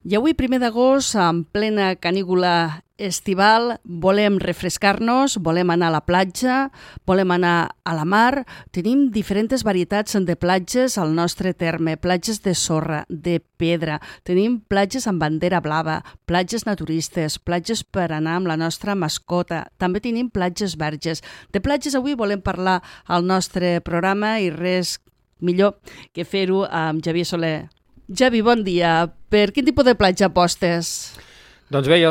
I avui, 1 d'agost, en plena canícula estival, volem refrescar-nos, volem anar a la platja, volem anar a la mar. Tenim diferents varietats de platges al nostre terme, platges de sorra, de pedra. Tenim platges amb bandera blava, platges naturistes, platges per anar amb la nostra mascota. També tenim platges verges. De platges avui volem parlar al nostre programa i res millor que fer-ho amb Javier Soler. Javi, bon dia. Per quin tipus de platja apostes? Doncs bé, jo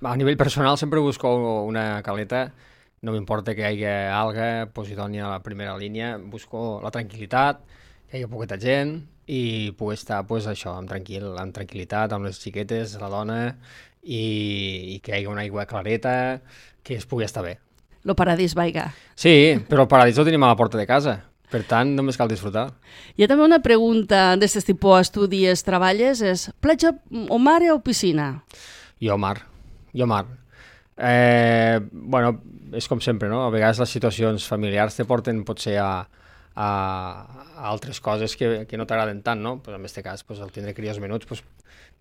a nivell personal sempre busco una caleta, no m'importa que hi hagi alga, Posidònia a la primera línia, busco la tranquil·litat, que hi hagi poqueta gent i poder estar pues, això, amb tranquil·litat, amb les xiquetes, la dona i que hi hagi una aigua clareta, que es pugui estar bé. Lo paradís, vaiga. Sí, però el paradís ho tenim a la porta de casa. Per tant, només cal disfrutar. Hi ha també una pregunta d'aquest tipus d'estudis, treballes, és platja o mar o piscina? Jo mar. Bueno, és com sempre, no? A vegades les situacions familiars te porten potser a altres coses que no t'agraden tant, no? Pues en aquest cas, pues, el tindre crios menuts, pues,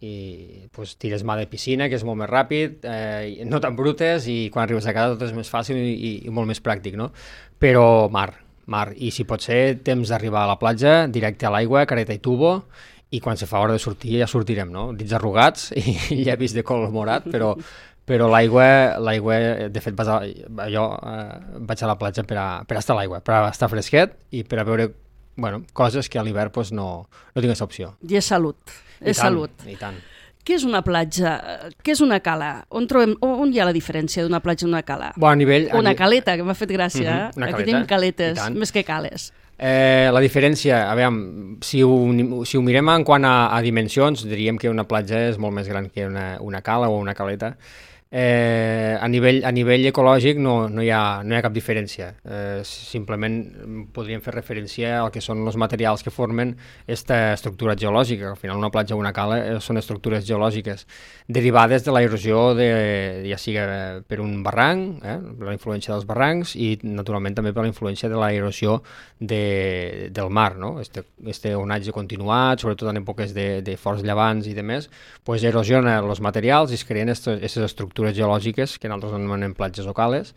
i pues, tires mà de piscina, que és molt més ràpid, no tan brutes, i quan arribes a casa tot és més fàcil i molt més pràctic, no? Però mar, i si pot ser temps d'arribar a la platja, directe a l'aigua, careta i tubo, i quan se fa hora de sortir ja sortirem, no? Dits arrugats i llavis de color morat, però l'aigua, de fet jo vaig a la platja per estar a l'aigua, per estar fresquet i per a veure coses que a l'hivern pues, no tinc aquesta opció. I és salut, salut. I tant. Què és una platja? Què és una cala? On hi ha la diferència d'una platja i una cala? Una caleta, que m'ha fet gràcia. Aquí tenim caletes, més que cales. La diferència, a veure, si ho mirem en quant a dimensions, diríem que una platja és molt més gran que una cala o una caleta. A nivell ecològic no hi ha cap diferència. Simplement podríem fer referència al que són els materials que formen aquesta estructura geològica. Al final una platja o una cala són estructures geològiques derivades de l'erosió, ja sigui per un barranc, la influència dels barrancs, i naturalment també per la influència de l'erosió del mar, no? Este onatge continuat, sobretot en èpoques de forts llevants i demés, pues erosiona els materials i es creen aquestes estructures geològiques que nosaltres anomenem platges o cales,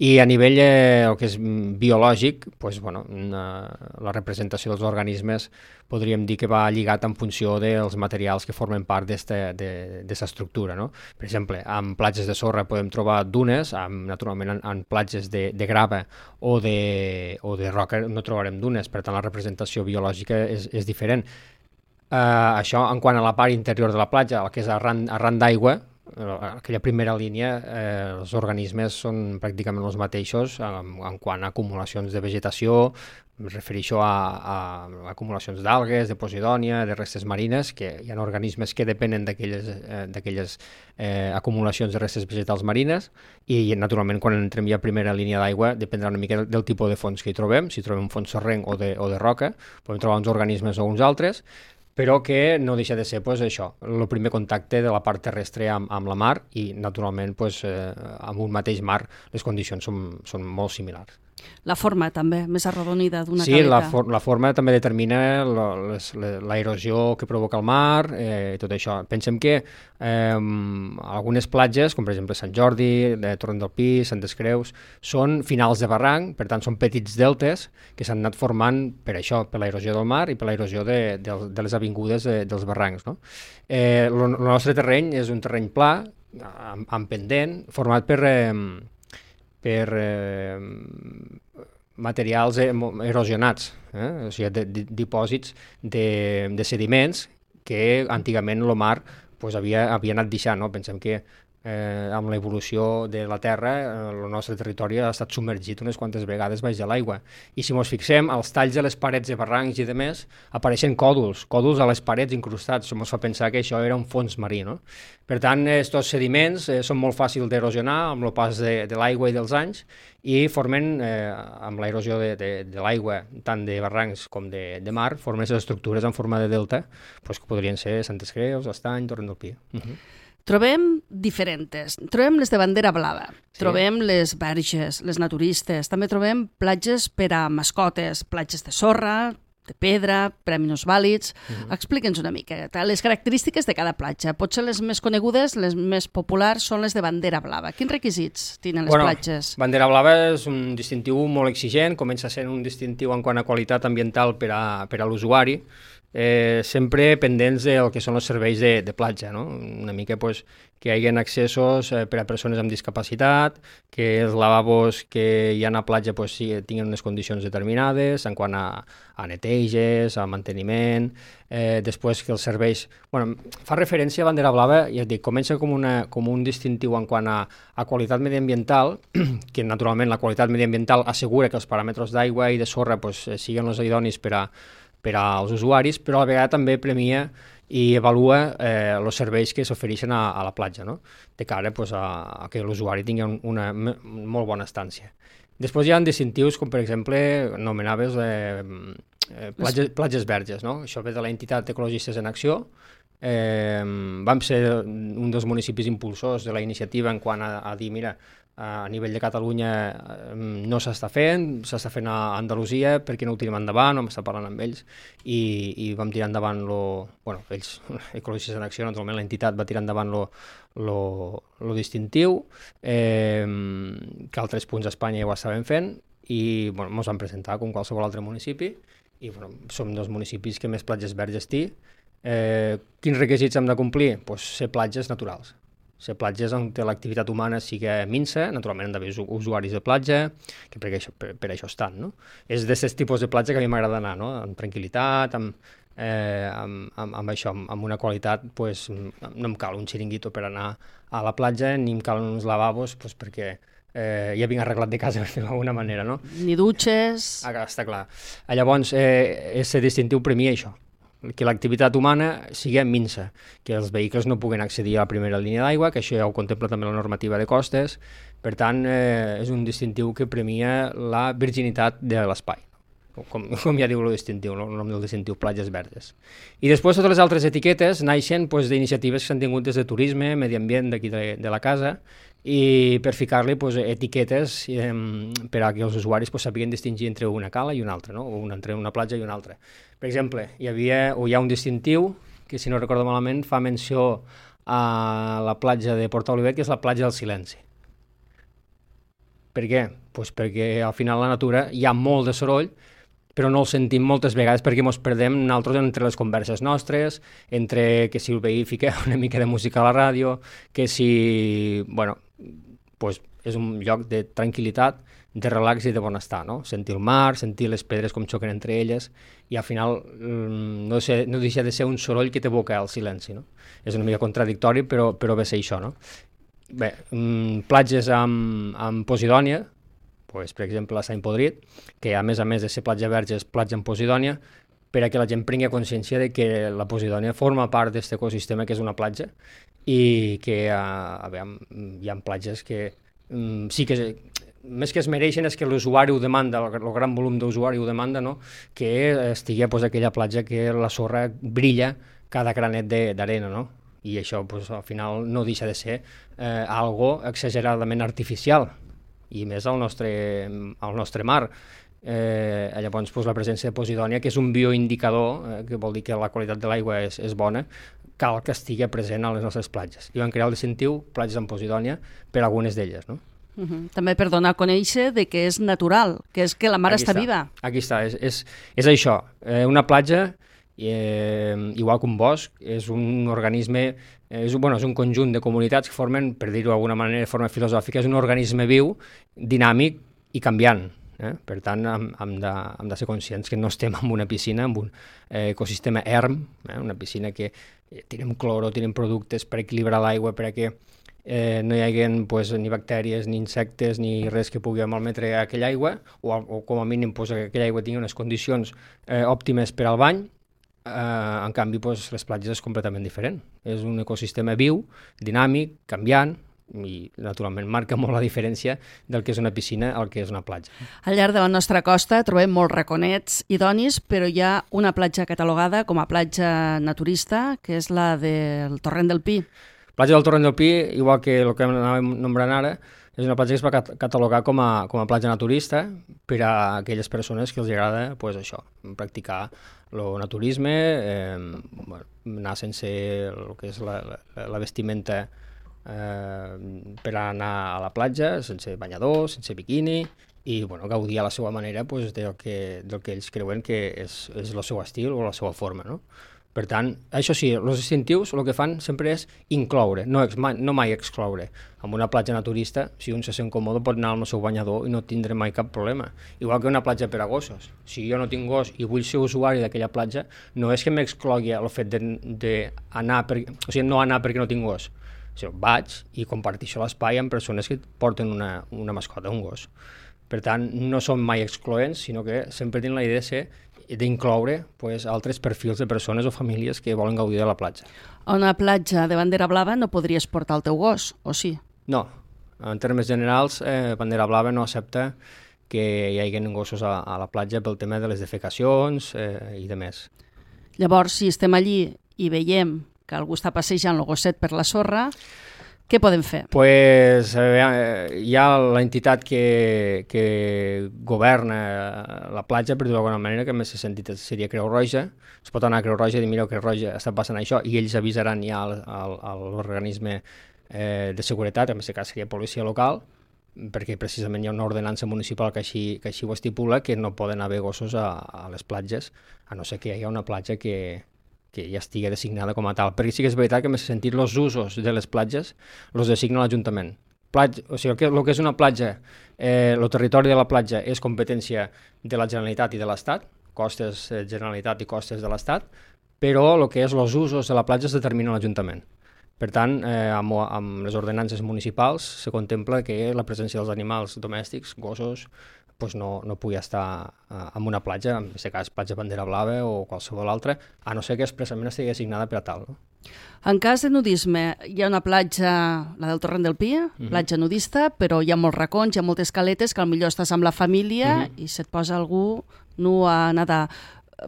i a nivell el que és biològic, pues, la representació dels organismes podríem dir que va lligat en funció dels materials que formen part d'aquesta estructura, no? Per exemple, en platges de sorra podem trobar dunes, naturalment en platges de grava o de roca no trobarem dunes, per tant la representació biològica és diferent. Això en quant a la part interior de la platja, el que és arran d'aigua, aquella primera línia, els organismes són pràcticament els mateixos en quant a acumulacions de vegetació, em refereixo a acumulacions d'algues, de posidònia, de restes marines, que hi ha organismes que depenen d'aquelles acumulacions de restes vegetals marines, i naturalment quan entrem ja a primera línia d'aigua dependrà una mica del tipus de fons que hi trobem. Si trobem un fons sorrenc o de roca, podem trobar uns organismes o uns altres, però que no deixa de ser això, el primer contacte de la part terrestre amb la mar, i naturalment amb un mateix mar les condicions són molt similars. La forma també, més arrodonida d'una caleta. Sí, la forma també determina l'erosió que provoca el mar i tot això. Pensem que algunes platges, com per exemple Sant Jordi, Torrent del Pi, Santes Creus, són finals de barranc, per tant són petits deltes que s'han anat formant per això, per l'erosió del mar i per l'erosió de les avingudes dels barrancs, no? El nostre terreny és un terreny pla, amb pendent, format per materials erosionats, o sigui, dipòsits de sediments que antigament el mar havia anat deixant, no? Pensem que amb l'evolució de la Terra el nostre territori ha estat submergit unes quantes vegades baix de l'aigua, i si ens fixem, als talls de les parets de barrancs i demés apareixen còdols a les parets incrustats. Ens fa pensar que això era un fons marí, no? Per tant, aquests sediments són molt fàcils d'erosionar amb el pas de l'aigua i dels anys, i formen, amb l'erosió de l'aigua, tant de barrancs com de mar, formen les estructures en forma de delta, que podrien ser Santes Creus, Estany, Torrent del Pi. Trobem diferents. Trobem les de bandera blava, trobem les verges, les naturistes, també trobem platges per a mascotes, platges de sorra, de pedra, per a minusvàlids. Explica'ns una mica les característiques de cada platja. Potser les més conegudes, les més populars, són les de bandera blava. Quins requisits tenen les platges? Bandera blava és un distintiu molt exigent, comença sent un distintiu en quant a qualitat ambiental per a l'usuari, sempre pendents del que són els serveis de platja, no? Una mica que hi hagi accessos per a persones amb discapacitat, que els lavabos que hi ha a platja tinguin unes condicions determinades en quant a neteges, a manteniment, després que els serveis... fa referència a bandera blava, ja et dic, comença com un distintiu en quant a qualitat mediambiental, que naturalment la qualitat mediambiental assegura que els paràmetres d'aigua i de sorra siguin els idonis per als usuaris, però a la vegada també premia i avalua els serveis que s'ofereixen a la platja, no? De cara a que l'usuari tingui una molt bona estància. Després hi ha distintius com, per exemple, anomenaves platges verges, no? Això ve de l'entitat Ecologistes en Acció. Vam ser un dels municipis impulsors de la iniciativa en quant a dir, mira, a nivell de Catalunya no s'està fent a Andalusia, perquè no ho tirem endavant, vam estar parlant amb ells i vam tirar endavant ells, Ecologistes en Acció, naturalment l'entitat va tirar endavant lo distintiu, que altres punts d'Espanya ja ho estaven fent i ens vam presentar com qualsevol altre municipi i som dels municipis que més platges verges té. Quins requisits hem de complir? Ser platges naturals. Ser platges on l'activitat humana sigui minsa, naturalment han d'haver usuaris de platja, que per això estan, no? És d'aquests tipus de platja que a mi m'agrada anar, no? Amb tranquil·litat, amb això, amb una qualitat, no em cal un xiringuito per anar a la platja, ni em calen uns lavabos, perquè ja vinc arreglat de casa, per dir-ho d'alguna manera, no? Ni dutxes... Està clar. Llavors, és distintiu premia això, que l'activitat humana sigui minsa, que els vehicles no puguen accedir a la primera línia d'aigua, que això ja ho contempla també la normativa de costes, per tant, és un distintiu que premia la virginitat de l'espai, com ja diu el distintiu, el nom del distintiu, platges verdes. I després totes les altres etiquetes naixen d'iniciatives que s'han tingut des de turisme, medi ambient d'aquí de la casa, i per ficar-li etiquetes per a que els usuaris sàpiguen distingir entre una cala i una altra, no? O entre una platja i una altra. Per exemple, hi ha un distintiu que, si no recordo malament, fa menció a la platja de Porta Olivet, que és la platja del silenci. Per què? Perquè al final la natura hi ha molt de soroll, però no el sentim moltes vegades perquè ens perdem nosaltres entre les converses nostres, entre que si el veí fica una mica de música a la ràdio, que si... és un lloc de tranquil·litat, de relax i de benestar, no? Sentir el mar, sentir les pedres com xoquen entre elles, i al final no deixa de ser un soroll que t'evoca el silenci, no? És una mica contradictori, però ve a ser això, no? Bé, platges amb Posidònia, per exemple a Sant Podrit, que a més de ser platja verge és platja amb Posidònia, per a que la gent prengui consciència de que la Posidònia forma part d'aquest ecosistema que és una platja i que hi ha platges que sí que més que es mereixen és que l'usuari ho demanda, el gran volum d'usuari ho demanda, no? Que estigui aquella platja que la sorra brilla cada granet d'arena, no? I això al final no deixa de ser algo exageradament artificial, i més al nostre mar. Llavors la presència de Posidònia, que és un bioindicador, que vol dir que la qualitat de l'aigua és bona, cal que estigui present a les nostres platges. I van crear el distintiu platges amb Posidònia per a algunes d'elles, no? També per donar a conèixer que és natural, que és que la mar està viva. Aquí està, és això. Una platja, igual que un bosc, és un organisme, és un conjunt de comunitats que formen, per dir-ho d'alguna manera de forma filosòfica, és un organisme viu, dinàmic i canviant. Per tant, hem de ser conscients que no estem en una piscina, en un ecosistema erm, una piscina que tirem cloro, tirem productes per equilibrar l'aigua, per a que no hi hagi ni bactèries, ni insectes, ni res que pugui malmetre aquella aigua, o com a mínim que aquella aigua tingui unes condicions òptimes per al bany. En canvi, les platges és completament diferent. És un ecosistema viu, dinàmic, canviant, i naturalment marca molt la diferència del que és una piscina al que és una platja. Al llarg de la nostra costa trobem molts raconets idonis, però hi ha una platja catalogada com a platja naturista, que és la del Torrent del Pi. Platja del Torrent del Pi, igual que el que anàvem nombrant ara, és una platja que es va catalogar com a platja naturista per a aquelles persones que els agrada pues, això, practicar el naturisme, anar sense el que és la vestimenta per anar a la platja, sense banyador, sense biquini, i bueno, gaudir a la seva manera pues, del que ells creuen que és el seu estil o la seva forma, no? Per tant, això sí, els distintius el que fan sempre és incloure, no mai excloure. En una platja naturista, si un se sent còmode, pot anar amb el seu banyador i no tindrà mai cap problema. Igual que una platja per a gossos. Si jo no tinc gos i vull ser usuari d'aquella platja, no és que m'exclogui el fet d'anar, o sigui, no anar perquè no tinc gos. O sigui, vaig i comparteixo l'espai amb persones que porten una mascota, un gos. Per tant, no són mai excloents, sinó que sempre tenen la idea d'incloure pues, altres perfils de persones o famílies que volen gaudir de la platja. A una platja de bandera blava no podries portar el teu gos, o sí? No. En termes generals, bandera blava no accepta que hi hagi gossos a la platja pel tema de les defecacions i de més. Llavors, si estem allí i veiem que algú està passejant el gosset per la sorra, què podem fer? Pues, hi ha l'entitat que governa la platja, per dir-ho d'alguna manera, que en aquest sentit seria Creu Roja. Es pot anar a Creu Roja i dir, mireu, Creu Roja està passant això, i ells avisaran ja a l'organisme de seguretat, en aquest cas seria policia local, perquè precisament hi ha una ordenança municipal que així ho estipula, que no poden haver gossos a les platges, a no ser que hi hagi una platja que ja estigui designada com a tal. Perquè sí que és veritat que en aquest sentit els usos de les platges els designa l'Ajuntament. O sigui, el que és una platja, el territori de la platja és competència de la Generalitat i de l'Estat, costes Generalitat i costes de l'Estat, però el que és els usos de la platja es determina l'Ajuntament. Per tant, amb les ordenances municipals se contempla que la presència dels animals domèstics, gossos, pues no pugui estar en una platja, en aquest cas platja bandera blava o qualsevol altra, a no ser que expressament estigui assignada per a tal. No? En cas de nudisme, hi ha una platja, la del Torrent del Pi, platja nudista, però hi ha molts racons, hi ha moltes caletes que potser estàs amb la família i se't posa algú nu a nedar.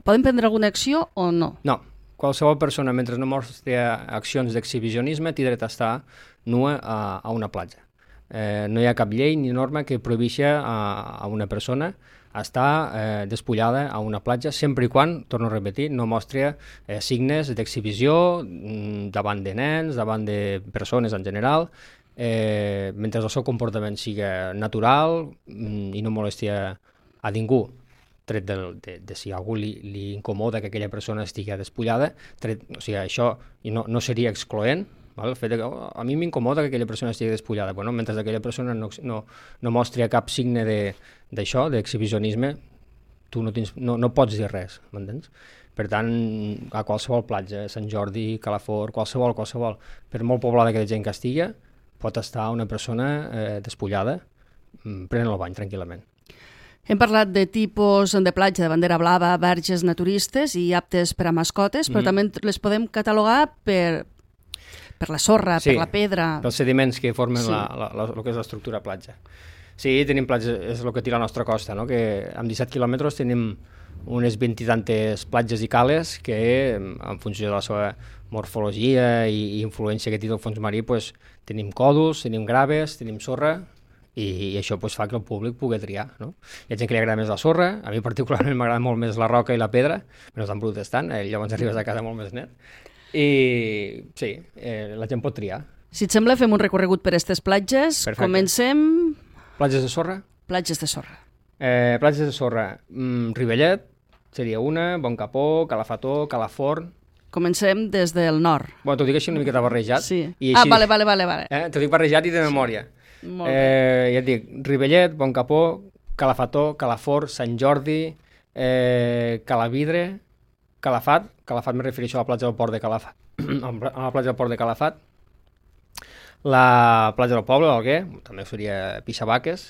Poden prendre alguna acció o no? No. Qualsevol persona, mentre no mostri accions d'exhibicionisme, té dret a estar nua a una platja. No hi ha cap llei ni norma que prohibeixi a una persona estar despullada a una platja sempre i quan, torno a repetir, no mostri signes d'exhibició davant de nens, davant de persones en general, mentre el seu comportament sigui natural i no molesti a ningú, tret de si a algú li incomoda que aquella persona estigui despullada, o sigui, això no seria excloent. El fet que a mi m'incomoda que aquella persona estigui despullada. Bueno, mentre aquella persona no mostri cap signe d'això, d'exhibicionisme, tu no pots dir res, m'entens? Per tant, a qualsevol platja, Sant Jordi, Calafort, qualsevol, per molt poblada que hi gent que estigui, pot estar una persona despullada prenent el bany tranquil·lament. Hem parlat de tipus de platja de bandera blava, verges naturistes i aptes per a mascotes, però també les podem catalogar per la sorra, per la pedra... pels sediments que formen el que és l'estructura platja. Sí, tenim platges, és el que té la nostra costa, no? Que amb 17 quilòmetres tenim unes 20 i tantes platges i cales que, en funció de la seva morfologia i influència que té del fons marí, pues, tenim còdols, tenim graves, tenim sorra, i això fa que el públic pugui triar. No? Hi ha gent que li agrada més la sorra, a mi particularment m'agrada molt més la roca i la pedra, no tan brut estan, llavors arribes a casa molt més net. I sí, la gent pot triar. Si et sembla, fem un recorregut per aquestes platges. Perfecte. Comencem... Platges de sorra? Platges de sorra. Platges de sorra. Rivellet seria una, Bon Capó, Calafató, Calafort... Comencem des del nord. Bueno, t'ho dic així una miqueta barrejat. Sí. I així, vale. T'ho dic barrejat i de memòria. Molt bé. Ja et dic, Rivellet, Bon Capó, Calafató, Calafort, Sant Jordi, Calavidre, Calafat me refereixo a la platja del Port de Calafat, a la platja del Port de Calafat, la platja del Poble, l'Alguer, també seria Pixabaques,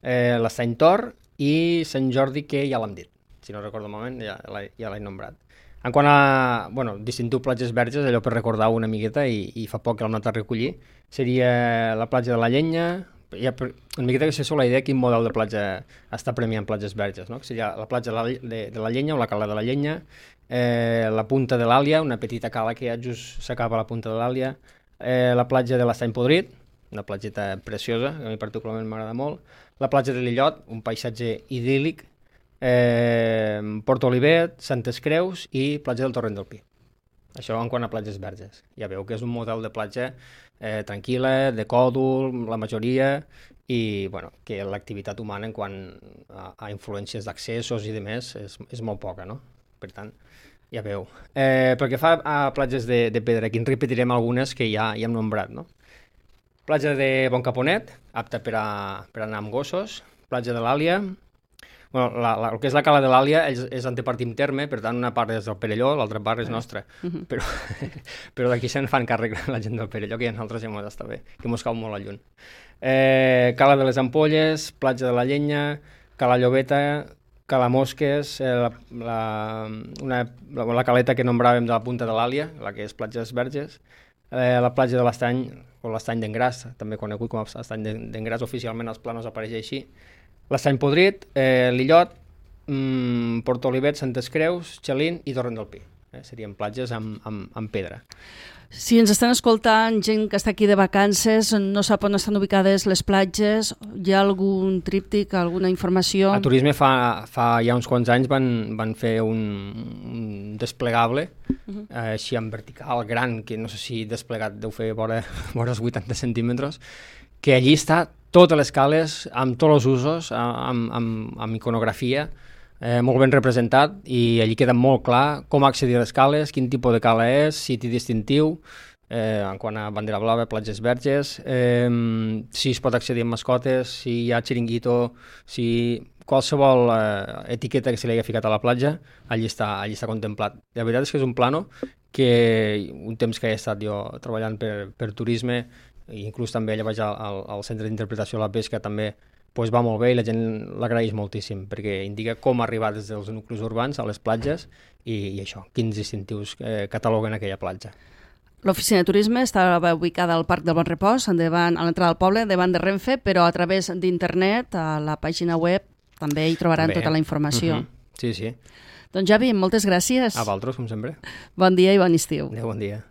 l'Estany Tor i Sant Jordi, que ja l'hem dit, si no recordo el moment, ja l'he nombrat. En quant a, distintiu platges verges, allò per recordar una miqueta, i fa poc que l'hem anat a recollir, seria la platja de la Llenya, una miqueta que se sol la idea quin model de platja està premiant platges verges, no? Que seria la platja de la Llenya o la cala de la Llenya, la punta de l'Àlia, una petita cala que ja just s'acaba la punta de l'Àlia, la platja de l'Estany Podrit, una platgeta preciosa, que a mi particularment m'agrada molt. La platja de l'Illot, un paisatge idíl·lic, Port Olivet, Santes Creus i platja del Torrent del Pi. Això en quant a platges verges. Ja veu que és un model de platja tranquil·la, de còdol, la majoria, i bueno, que l'activitat humana en quant a influències d'accessos i demés és molt poca, no? Per tant, ja veu. Pel que fa a platges de pedra, aquí en repetirem algunes que ja hem nombrat, no? Platja de Bon Caponet, apta per anar amb gossos. Platja de l'Àlia. Bueno, el que és la cala de l'Àlia és antepartim terme, per tant una part és del Perelló, l'altra part és nostra. Però d'aquí se'n fan càrrec la gent del Perelló, que ja nosaltres ja m'ho està bé, que mos cau molt a lluny. Cala de les Ampolles, platja de la Llenya, Cala Llobeta, Cala Mosques, la caleta que nombràvem de la punta de l'Àlia, la que és platges verges, la platja de l'Estany, o l'Estany d'Engràs, també conegut com a Estany d'Engràs, oficialment als planos apareix així, l'Estany Podrit, l'Illot, Port Olivet, Santes Creus, Xalín i Torrent del Pi. Serien platges amb pedra. Si ens estan escoltant gent que està aquí de vacances, no sap on estan ubicades les platges, hi ha algun tríptic, alguna informació? A Turisme fa ja uns quants anys van fer un desplegable, així en vertical, gran, que no sé si desplegat deu fer vora els 80 centímetres, que allí està totes les cales, amb tots els usos, amb iconografia, molt ben representat, i allí queda molt clar com accedir a les cales, quin tipus de cala és, siti distintiu, en quant a bandera blava, platges verges, si es pot accedir amb mascotes, si hi ha xiringuito, si qualsevol etiqueta que se li hagi ficat a la platja, allí està contemplat. La veritat és que és un plano que un temps que he estat jo treballant per turisme, i inclús també allà vaig al centre d'interpretació de la pesca, també va molt bé i la gent l'agraeix moltíssim, perquè indica com arribar des dels nuclis urbans a les platges i això, quins distintius cataloguen aquella platja. L'oficina de turisme estava ubicada al Parc del Bon Repòs, a l'entrada del poble, davant de Renfe, però a través d'internet, a la pàgina web, també hi trobaran tota la informació. Sí, sí. Doncs Javi, moltes gràcies. A vosaltres, com sempre. Bon dia i bon estiu. Adéu, bon dia.